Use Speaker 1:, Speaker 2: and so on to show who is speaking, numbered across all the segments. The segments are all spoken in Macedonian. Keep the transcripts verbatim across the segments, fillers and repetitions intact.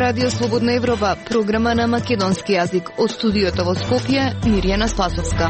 Speaker 1: Радио Слободна Европа, програма на македонски јазик. Од студиото во Скопје, Мирјана Спасовска.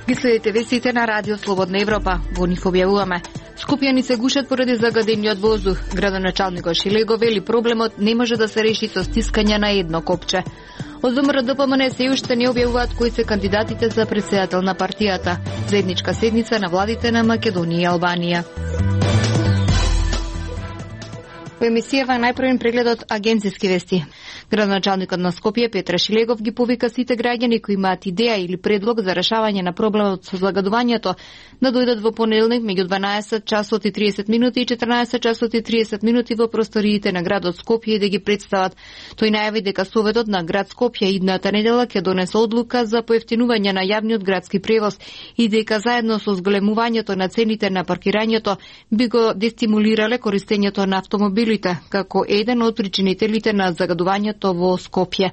Speaker 1: Ги следите вестите на Радио Слободна Европа. Во нив објавуваме: Скопјани се гушат поради загадениот воздух. Градоначалникот Шилего вели проблемот не може да се реши со стискање на едно копче. Од ЗМРДПМН се уште не објавуваат кои се кандидатите за претседател на партијата. Заедничка седница на владите на Македонија и Албанија. Во емисијава најпрвен преглед од агенцијски вести. Градоначалникот на Скопје Петре Шилегов ги повика сите граѓани кои имаат идеја или предлог за решавање на проблемот со загадувањето да дојдат во понеделник меѓу дванаесет часот и триесет минути и четрнаесет часот и триесет минути во просториите на градот Скопје и да ги представат. Тој најави дека Советот на град Скопје идната недела ќе донесе одлука за поевтинување на јавниот градски превоз и дека заедно со зголемувањето на цените на паркирањето би го дестимулирале користењето на автомобилите како еден од причинителите на загадувањето во Скопје.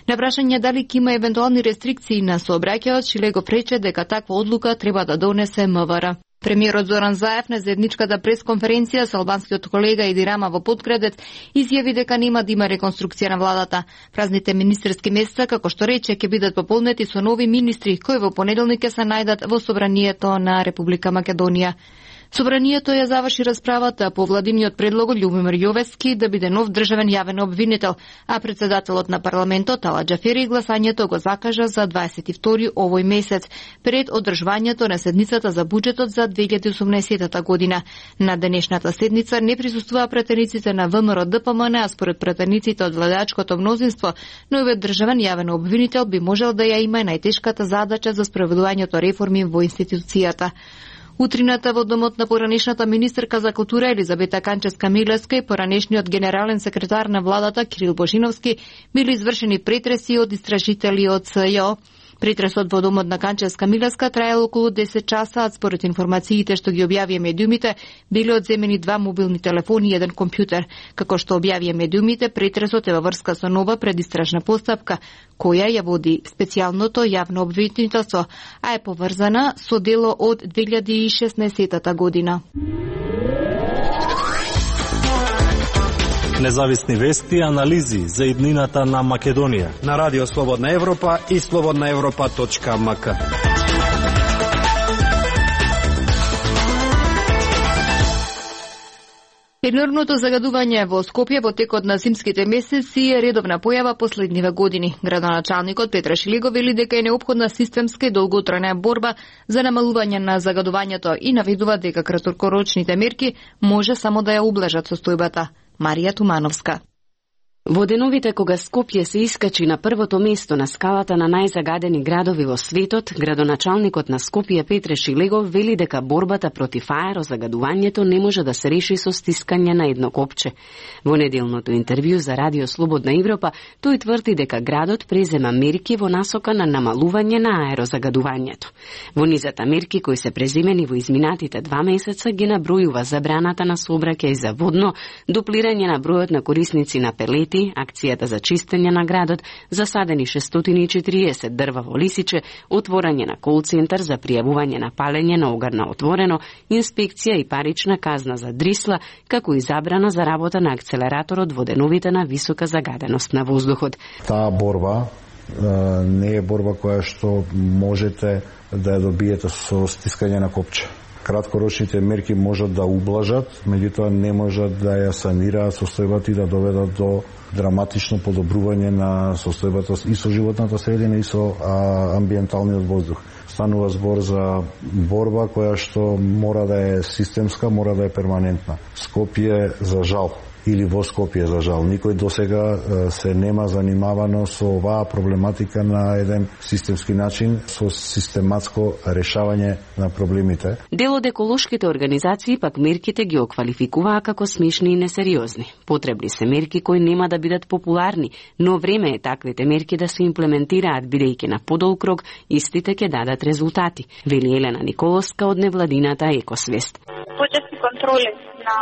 Speaker 1: На прашање дали ќе има евентуални рестрикции на сообраќајот, Шилегов рече дека таква одлука треба да донесе МВР. Премиерот Зоран Заев на заедничката пресконференција со албанскиот колега Еди Рама во Подкредец изјави дека нема да има реконструкција на владата. Празните министерски места, како што рече, ќе бидат пополнети со нови министри кои во понеделник ќе се најдат во собранието на Република Македонија. Собранието ја заврши расправата по владиниот предлог од Љубомир Јовески да биде нов државен јавен обвинител, а председателот на парламентот Ала Џафери гласањето го закажа за дваесет и втори овој месец, пред одржувањето на седницата за буџетот за две илјади и осумнаесета година. На денешната седница не присуствуваа пратениците на ВМРО-ДПМН, а според пратениците од владачкото мнозинство, новиот државен јавен обвинител би можел да ја има најтешката задача за спроведувањето реформи во институцијата. Утрината во домот на поранешната министерка за култура Елизабета Канчевска-Милевска и поранешниот генерален секретар на владата Кирил Божиновски били извршени претреси од истражители од СЈО. Претресот во домот на Канчевска-Милевска траел околу десет часа, а според информациите што ги објавија медиумите, били одземени два мобилни телефони и еден компјутер. Како што објавија медиумите, претресот е во врска со нова предистражна постапка, која ја води специјалното јавно обвинителство, а е поврзана со дело од две илјади и шеснаесета година.
Speaker 2: Независни вести и анализи за иднината на Македонија
Speaker 3: на Радио Слободна Европа и слободна европа точка ем ка.
Speaker 1: Енормното загадување во Скопје во текот на зимските месеци е редовна појава последниве години. Градоначалникот Петре Шилегов вели дека е неопходна системска и долготрајна борба за намалување на загадувањето и наведува дека краткорочните мерки може само да ја ублажат состојбата. Марија Тумановска.
Speaker 4: Во деновите кога Скопје се искачи на првото место на скалата на најзагадени градови во светот, градоначалникот на Скопје Петре Шилегов вели дека борбата против аерозагадувањето не може да се реши со стискање на едно копче. Во неделното интервју за Радио Слободна Европа, тој тврди дека градот презема мерки во насока на намалување на аерозагадувањето. Во низата мерки кои се преземени во изминатите два месеца ги набројува забраната на сообраќај за водно, дуплирање на бројот на корисници на пелети, акцијата за чистење на градот, засадени шестстотини и четириесет дрва во Лисиче, отворање на кол-центар за пријавување на палење на огар на отворено, инспекција и парична казна за дрисла, како и забрана за работа на акцелераторот во деновите на висока загаденост на воздухот.
Speaker 5: Таа борба е, не е борба која што можете да ја добиете со стискање на копче. Краткорочните мерки можат да ублажат, меѓутоа не можат да ја санираат состојбата и да доведат до драматично подобрување на состојбата и со животната средина и со а, амбиенталниот воздух. Станува збор за борба која што мора да е системска, мора да е перманентна. Скопје, за жал, или во Скопје, за жал, никој досега се нема занимавано со оваа проблематика на еден системски начин, со систематско решавање на проблемите.
Speaker 4: Дел од еколошките организации пак мерките ги оквалификуваа како смешни и несериозни. Потребни се мерки кои нема да бидат популарни, но време е таквите мерки да се имплементираат, бидејќи на подолг рок истите ќе дадат резултати, вели Елена Николовска од невладината Екосвест.
Speaker 6: Почести контроли на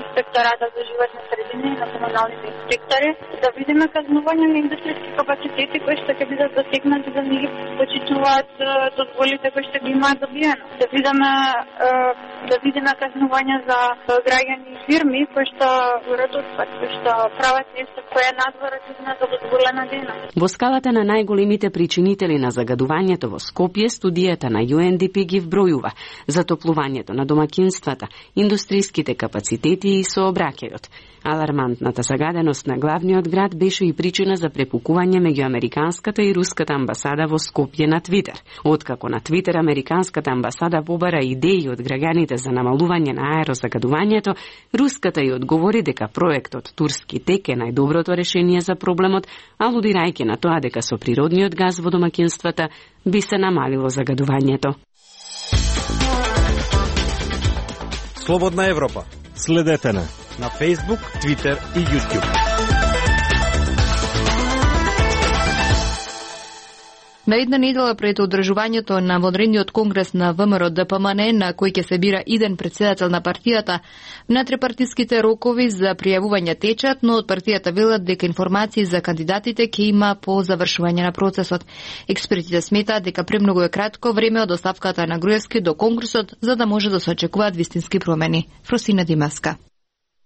Speaker 6: инспектората за животни средини и на комуналните инспектори, да видиме казнување на индустријски капацитети кои што ќе бидат засегнати да не ги почитуваат дозволите кои што ги имаат добиено. Да видиме да видиме казнување за граѓани и фирми кои што отпад, кои што прават нешто кое е надвор од дозволена дејност.
Speaker 4: Во скалата на најголемите причинители на загадувањето во Скопје, студијата на Ю Ен Ди Пи ги вбројува затоплувањето на домакинствата, индустријските капацитети и сообраќајот. Алармантната загаденост на главниот град беше и причина за препукување меѓу американската и руската амбасада во Скопје на Твитер. Откако на Твитер американската амбасада побара идеи од граѓаните за намалување на аерозагадувањето, руската ја одговори дека проектот Турски тек е најдоброто решение за проблемот, алудирајќи на тоа дека со природниот газ во домакинствата би се намалило загадувањето.
Speaker 3: Слободна Европа.
Speaker 2: Следете на
Speaker 3: на Facebook, Twitter и YouTube.
Speaker 1: На една недела пред одржувањето на вонредниот конгрес на Вэ Ем Р Д П М Н, на кој ќе се бира иден претседател на партијата, внетрепартиските рокови за пријавување течат, но од партијата велат дека информации за кандидатите ќе има по завршување на процесот. Експертите сметаат дека премногу е кратко време од оставката на Груевски до конгресот за да може да се очекуваат вистински промени. Фросина Димаска.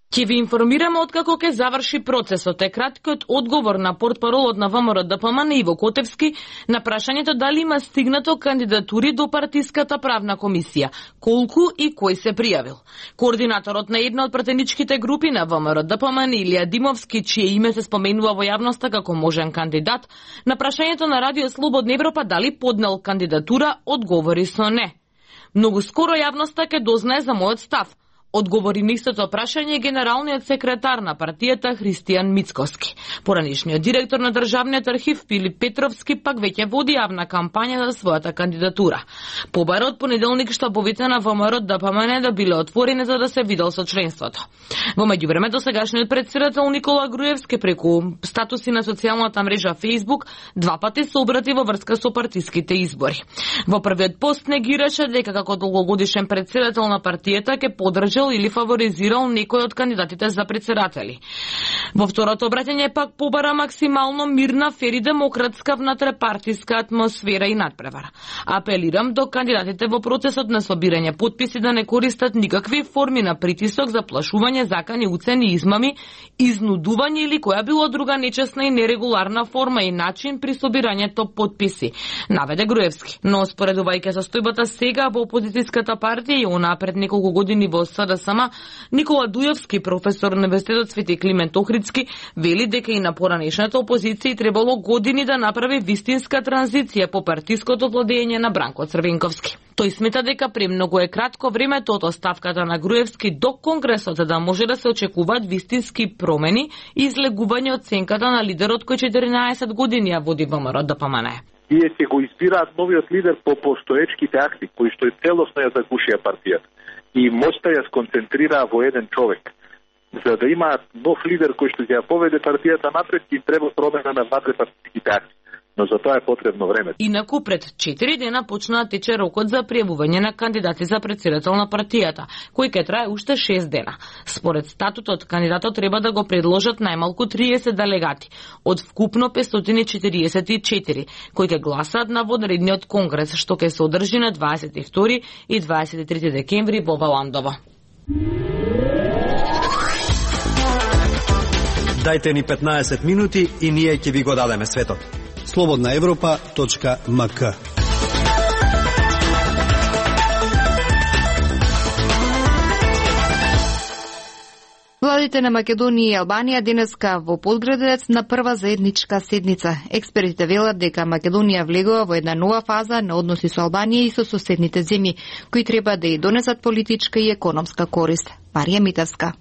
Speaker 7: Ќе ви информираме откако ќе заврши процесот, е краткиот одговор на портпаролот на Вэ Ем Р Д П М Н Иво Котевски на прашањето дали има стигнато кандидатури до партиската правна комисија, колку и кој се пријавил. Координаторот на една од пратеничките групи на Вэ Ем Р Д П М Н Илија Димовски, чие име се споменува во јавноста како можен кандидат, на прашањето на Радио Слободна Европа дали поднел кандидатура, одговори со не. Многу скоро јавноста ќе дознае за мојот став. Одговори на истото прашање генералниот секретар на партијата Христијан Мицковски. Поранешниот директор на Државниот архив Филип Петровски пак веќе води јавна кампања за својата кандидатура. Побара од понеделник штабовите на Вэ Ем Р Д П М Н да биле отворени за да се видел со членството. Во меѓувреме досегашниот претседател Никола Груевски преку статуси на социјалната мрежа Facebook два пати се обрати во врска со партиските избори. Во првиот пост негираше дека како долгогодишен претседател на партијата ќе поддржи или фаворизирал некој од кандидатите за председатели. Во второто обраќање пак побара максимално мирна, фер и демократска внатрепартиска атмосфера и надпревара. Апелирам до кандидатите во процесот на собирање потписи да не користат никакви форми на притисок, заплашување, закани, уцени, измами, изнудување или која било друга нечесна и нерегуларна форма и начин при собирањето потписи, наведе Груевски. Но споредувајќи состојбата сега во опозицијската партија и она пред неколку години во С Д С М, Никола Дујовски, професор на Универзитетот Свети Климент Охридски, вели дека и на поранешната опозиција требало години да направи вистинска транзиција по партиското владење на Бранко Црвенковски. Тој смета дека премногу е кратко времето од оставката на Груевски до конгресот да може да се очекуваат вистински промени и излегување од сенката на лидерот кој четиринаесет години ја води Вэ Ем Р Д П М Н.
Speaker 8: Тие ќе го избираат новиот лидер по постоечките акти, кои што целосно ја загушија партијата и моќта ја сконцентрираа во еден човек. За да имаат нов лидер кој што ќе ја поведе партијата напред, им треба промена на внатрепартиските акти. Но за тоа е потребно време.
Speaker 7: Инаку пред четири дена почна да тече рокот за пријавување на кандидати за претседател на партијата, кој ќе трае уште шест дена. Според статутот, кандидатот треба да го предложат најмалку триесет делегати од вкупно петстотини четириесет и четири, кои ќе гласаат на вонредниот конгрес, што ќе се одржи на дваесет и втори и дваесет и трети декември во Валандово.
Speaker 3: Дајте ни петнаесет минути и ние ќе ви го дадеме светот. слободна европа точка м к.
Speaker 1: Владите на Македонија и Албанија денеска во Подградец на прва заедничка седница. Експертите велат дека Македонија влегува во една нова фаза на односи со Албанија и со соседните земји, кои треба да ја донесат политичка и економска корист. Марија Митевска.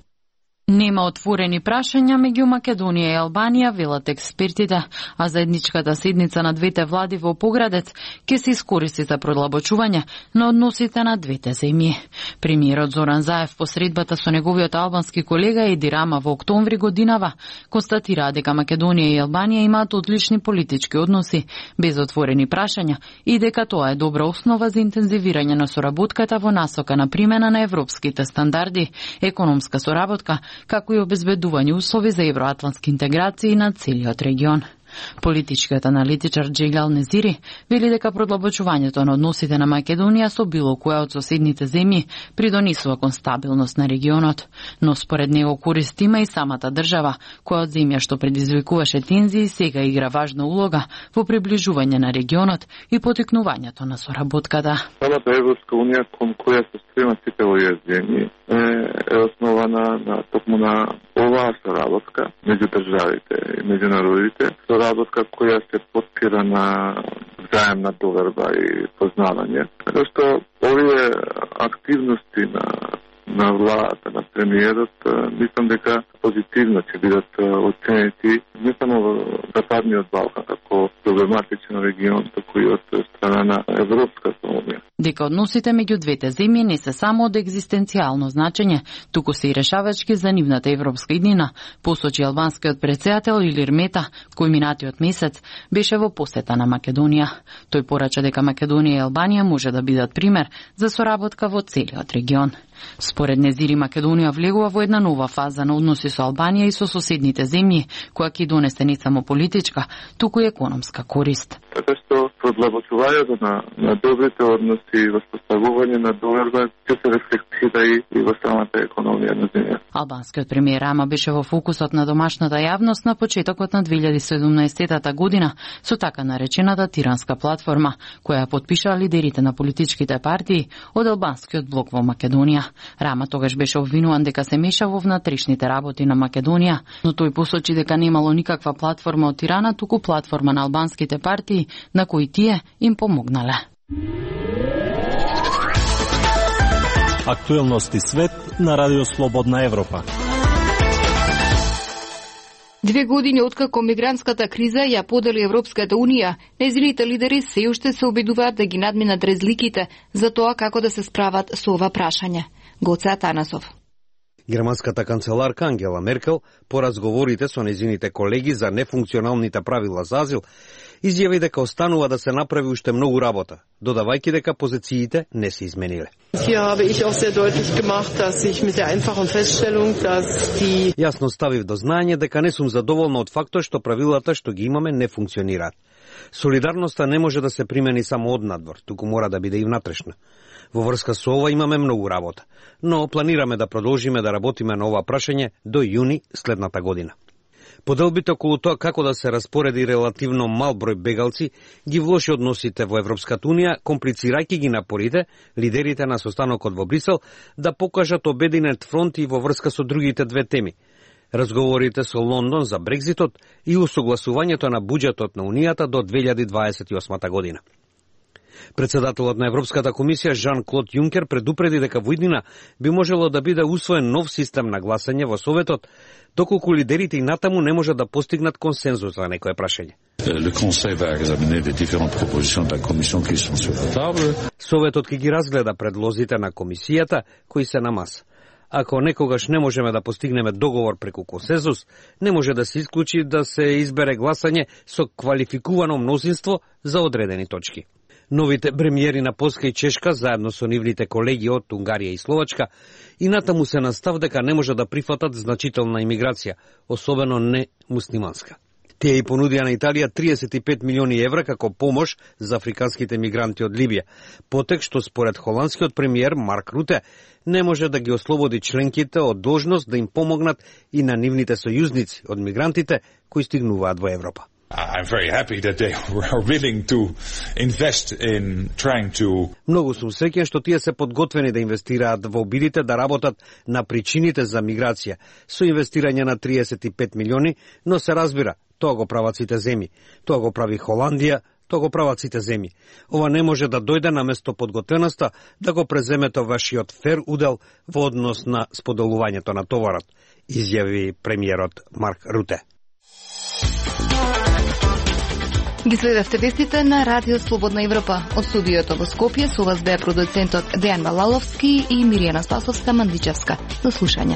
Speaker 9: Нема отворени прашања меѓу Македонија и Албанија, велат експертите, а заедничката седница на двете влади во Поградец ќе се искористи за продлабочување на односите на двете земји. Премиерот Зоран Заев по средбата со неговиот албански колега Еди Рама во октомври годинава констатираа дека Македонија и Албанија имаат одлични политички односи, без отворени прашања, и дека тоа е добра основа за интензивирање на соработката во насока на примена на европските стандарди, економска соработка, како и обезбедување услови за евроатлантски интеграции на целиот регион. Политичкиот аналитичар Джейлал Незири вели дека продлабочувањето на односите на Македонија со било која од соседните земји придонесува кон стабилност на регионот, но според него корист има и самата држава, која од земја што предизвикуваше тензии сега игра важна улога во приближување на регионот и потикнувањето на соработката.
Speaker 10: Самата Европска унија кон која се стремат сите овие земји е основана на токму на оваа соработка меѓу државите и меѓу народите, соработка која се потпира на взаемна доверба и познавање. Така што овие активности на на владата, на премиерот, мислам дека позитивно ќе бидат оценети не само во Западниот Балкан како проблематичен регион, туку и од страна на Европската унија.
Speaker 9: Дека односите меѓу двете земји не се само од екзистенцијално значење, туку се и решавачки за нивната европска иднина, посочи албанскиот претседател Илир Мета, кој минатиот месец беше во посета на Македонија. Тој порача дека Македонија и Албанија може да бидат пример за соработка во целиот регион. Според Незири, Македонија влегува во една нова фаза на односи со Албанија и со соседните земји, која ќе донесе не само политичка, туку и економска корист.
Speaker 10: Така што продлабочувањето на, на добрите односи и воспоставување на доверба ќе се рефлектира и, и во самата економија на земја.
Speaker 9: Албанскиот премиер Рама беше во фокусот на домашната јавност на почетокот на две илјади и седумнаесетата година со така наречената Тиранска платформа, која ја потпишаа лидерите на политичките партии од албанскиот блок во Македонија. Рама тогаш беше обвинуван дека се меша во внатрешните работи на Македонија, но тој посочи дека немало никаква платформа од Тирана, туку платформа на албанските партии на кои тие им помогнале.
Speaker 2: Актуелности свет на Радио Слободна Европа.
Speaker 1: Две години откако мигрантската криза ја подели Европската унија, нејзините лидери се уште се обидуваат да ги надминат разликите за тоа како да се справат со ова прашање. Гоце Атанасов.
Speaker 3: Германската канцеларка Ангела Меркел, по разговорите со нејзините колеги за нефункционалните правила за азил, изјави дека останува да се направи уште многу работа, додавајќи дека позициите не се измениле. Јасно ставив до знаење дека не сум задоволна од фактот што правилата што ги имаме не функционираат. Солидарноста не може да се примени само од надвор, туку мора да биде и внатрешна. Во врска со ова имаме многу работа, но планираме да продолжиме да работиме на ова прашање до јуни следната година. Поделбите околу тоа како да се распореди релативно мал број бегалци ги влоши односите во Европската унија, комплицирајќи ги напорите лидерите на состанокот во Брисел да покажат обединет фронт и во врска со другите две теми: разговорите со Лондон за Брекзитот и усогласувањето на буџетот на Унијата до две илјади дваесет и осма година. Председателот на Европската комисија Жан-Клод Јункер предупреди дека во иднина би можело да биде усвоен нов систем на гласање во Советот, доколку лидерите и натаму не можат да постигнат консензус за некое прашање. Советот ќе ги разгледа предлозите на комисијата кои се на маса. Ако некогаш не можеме да постигнеме договор преку консензус, не може да се исклучи да се избере гласање со квалификувано мнозинство за одредени точки. Новите премиери на Полска и Чешка, заедно со нивните колеги од Унгарија и Словачка, и натаму се настав дека не може да прифатат значителна имиграција, особено не муслиманска. Тие и понудија на Италија триесет и пет милиони евра како помош за африканските мигранти од Либија, потек што според холандскиот премиер Марк Руте не може да ги ослободи членките од должност да им помогнат и на нивните сојузници од мигрантите кои стигнуваат во Европа.
Speaker 11: I'm very happy that they are willing to invest in trying to...
Speaker 3: Многу сум среќен што тие се подготвени да инвестираат во обидите да работат на причините за миграција со инвестирање на триесет и пет милиони, но се разбира, тоа го прават сите земји. Тоа го прави Холандија, тоа го прават сите земји. Ова не може да дојде наместо подготвеноста да го преземете вашиот фер удел во однос на споделувањето на товарот. изјави премиерот Марк Руте.
Speaker 1: Ги следевте вестите на Радио Слободна Европа. Од студиото во Скопје со вас беа продуцентот Дејан Малаловски и Миријана Спасовска Мандичевска. До слушање.